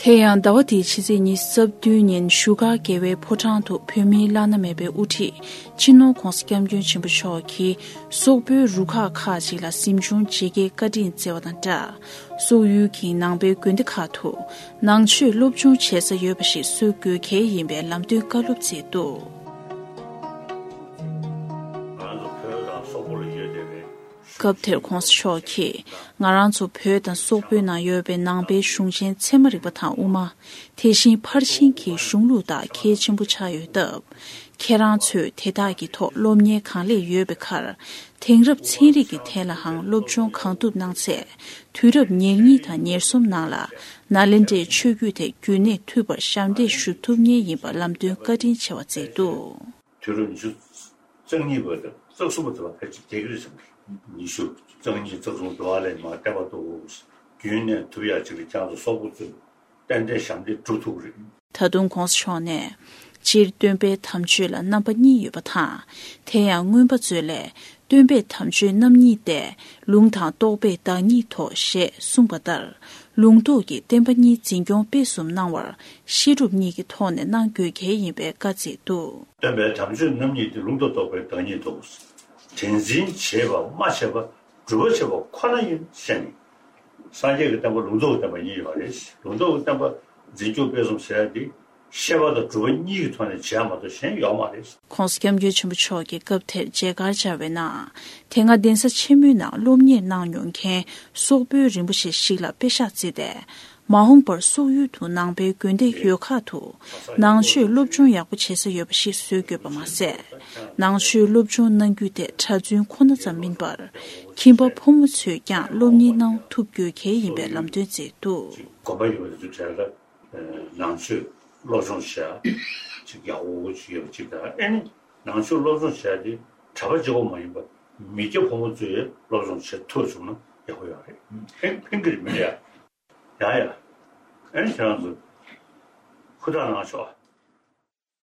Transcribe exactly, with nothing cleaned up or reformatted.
དེ་ཡང་ཟླ་བ་འདིའི་ཕྱི་ཚེས་ཉི་ཤུ་རྩ་བདུན་ཉིན་བཞུགས་སྒར་རྒྱལ་བའི་ཕོ་བྲང་དུ་བོད་མིའི་བླ་ན་མེད་པའི་དབུ་ཁྲིད་སྤྱི་ནོར་༧གོང་ས་༧སྐྱབས་མགོན་ཆེན་པོ་མཆོག་གིས་སོག་པོའི་རུ་ཁག་ཁག་ཅིག་ལ་གཟིམ་ཆུང་མཇལ་ཁའི་བཀའ་དྲིན་བསྩལ་བ་དང་སྦྲགས། སོག་ཡུལ་གྱི་ནང་པའི་དགོན་སྡེ་ཁག་ཏུ་ནང་ཆོས་སློབ་སྦྱོང་བྱེད་ས་ཡོད་པ་ཞིག་བཟོ་དགོས་གལ་ཡིན་པའི་ལམ་སྟོན་བཀའ་སློབ་བསྩལ་འདུག་ང་ཚོ་བོད་དང་སོག་པོ་ལ་ཡོད་བསྡད་པའི། སྐབས་དེར་༧གོང་ས་མཆོག་གིས་ང་རང་ཚོ་བོད་དང་སོག་པོའི་ནང་ཡོད་པའི་ནང་པའི་གཞུང་ཆེན་ཚད་མ་རིག་པ་དང་དབུ་མ། དེ་བཞིན་ཕར་ཕྱིན་གྱི་གཞུང་ལུགས་དག་གལ་ཆེན་པོ་ཆགས་ཡོད་སྟབས། ཁྱེད་རང་ཚོས་དེ་དག་གི་ཐོག་སློབ་གཉེར་གང་ལེགས་ཡོད་པའི་ཁར། དེང་རབས་ཚན་རིག་གི་ཐད་ལའང་སློབ་སྦྱོང་གང་ཐུབ་གནང་ཚེ། དུས་རབས་ཉེར་གཉིས་དང་ཉེར་གསུམ་ནང་ལ་ནཱ་ལེནྡྲའི་ཆོས་བརྒྱུད་དེ་རྒྱུན་གནས་ཐུབ་པར་ཞབས་འདེགས་ཞུ་ཐུབ་ངེས་ཡིན་པ་ལམ་སྟོན་བཀའ་དྲིན་ཆེ་བ་བསྩལ་འདུག་དུས་རབས་ཉི་ཤུ་རྩ་གཉིས་པ་དང་རྩ་གསུམ་པ་དེ་ལ་ཕལ་ཆེར་བསྡད་ཀྱི་རེད་བསམ་གི། ཉི་ཤུ་རྩ་གཉིས་རྩ་གསུམ་འགྲོ་བ་ལས་མ་བསྟན་པ་འདུག་རྒྱུན་གནས་ཐུབ་ཡག་ཅིག་ལ་ཁྱེད་ཚོ་སོག་པོ་ཚོས་ཏན་ཏན་ཞབས་འདེགས་སྒྲུབ་ཐུབ་ཀྱི་རེད། ད་དུང་༧གོང་ས་མཆོག་ནས། སྤྱིར་སྟོན་པའི་དམ་ཆོས་ལ་རྣམ་པ་གཉིས་ཡོད་པ་དང་། དེ་ཡང་མངོན་པ་མཛོད་ལས། སྟོན་པའི་དམ་ཆོས་རྣམ་གཉིས་ཏེ། ལུང་དང་རྟོགས་པའི་བདག་ཉིད་དོ་ཞེས་གསུངས་པ་ལྟར། ལུང་རྟོགས་ཀྱི་བསྟན་པ་གཉིས་འཛིན་སྐྱོང་སྤེལ་གསུམ་གནང་བར། བཤད་སྒྲུབ་གཉིས་ཀྱི་ཐོག་ནས་གནང་དགོས་གལ་ཡིན་པའི་བཀའ་བསྩལ་འདུག་སྟོན་པའི་དམ་ཆོས་རྣམ་གཉིས་ཏེ། ལུང་དང་རྟོགས་པའི་བདག་ཉིད་དོ། དེ་འཛིན་བྱེད་པ་སྨྲ་བྱེད་པ། སྒྲུབ་པ་བྱེད་པ་ཁོ་ན་ཡིན་ཞེས་ནས། སངས་རྒྱས་ཀྱི་བསྟན་པ་ལུང་རྟོགས་ཀྱི་བསྟན་པ་གཉིས་ཡོད་རེད། ལུང་རྟོགས་ཀྱི་བསྟན་པ་འཛིན་སྐྱོང་སྤེལ་གསུམ་ཟེར་ཡ་དེ་བཤད་པ་དང་སྒྲུབ་པ་གཉིས་ཀྱི་ཐོག་ནས་བྱེད་ཡ་མ་གཏོགས་གཞན་ཡོད་མ་རེད། ༸གོང་ས་༸སྐྱབས་མགོན་ཆེན་པོ་མཆོག་གིས་སྐབས་དེར་མཇལ་ཁར་བཅར་བའི་ནང་། དེ་སྔ་གདན་ས་ཆེན་མོའི་ནང་སློབ་གཉེར་གནང་མྱོང་མཁན་སོག་པོའི་རིན་པོ་ཆེ་ཞིག་ལ་པེ་ཤག་བརྩིས་ཏེ། མ་འོངས་པར་སོག་ཡུལ་དུ་ནང་པའི་དགོན་སྡེ་ཡོད་ཁག་ཏུ་ནང་ཆོས་སློབ་སྦྱོང་ཡག་པོ་བྱེད་ས་ཡོད་པ་ཞིག་བཟོ་དགོས་པ་མ་ཟད། ནང་ཆོས་སློབ་སྦྱོང་གནང་རྒྱུ་དེ་གྲྭ་བཙུན་ཁོ་ན་ཙམ་མིན་པར། ཁྱིམ་པ་ཕོ་མོ་ཚོས་ཀྱང་སློབ་གཉེར་གནང་ཐུབ་དགོས་གལ་ཡིན་པའི་ལམ་སྟོན་བསྩལ་འདུག་དགོན་པ་ཡོད་པ་དེ་ཚོའི་གྲས་ལ་ནང་ཆོས་སློབ་སྦྱོང་བྱེད་ཡ་ཅིག་ཡག་པོ་ཅིག་ཡོད་པ་ཅིག་དང་། ཨེ་ནི་ནང་ཆོས་སློབ་སྦྱོང་བྱེད་ཡ་དེ་གྲྭ་པ་གཅིག་པོ་མ་ཡིན་པར་མི་སྐྱ་ཕོ་མོ་ཚོས་སློབ་སྦྱོང་བྱེད་ཐུབ་བྱུང་ན་ཡག་པོ་ཡོད་རེད། ཕན་ཕན་གྱི་རེད་མི་རེད་ཡ། ཡ་ཡ། ཨེ་ནི་ཁྱེད་རང་ཚོ་ཧུར་ཐག་གནང་ཤོག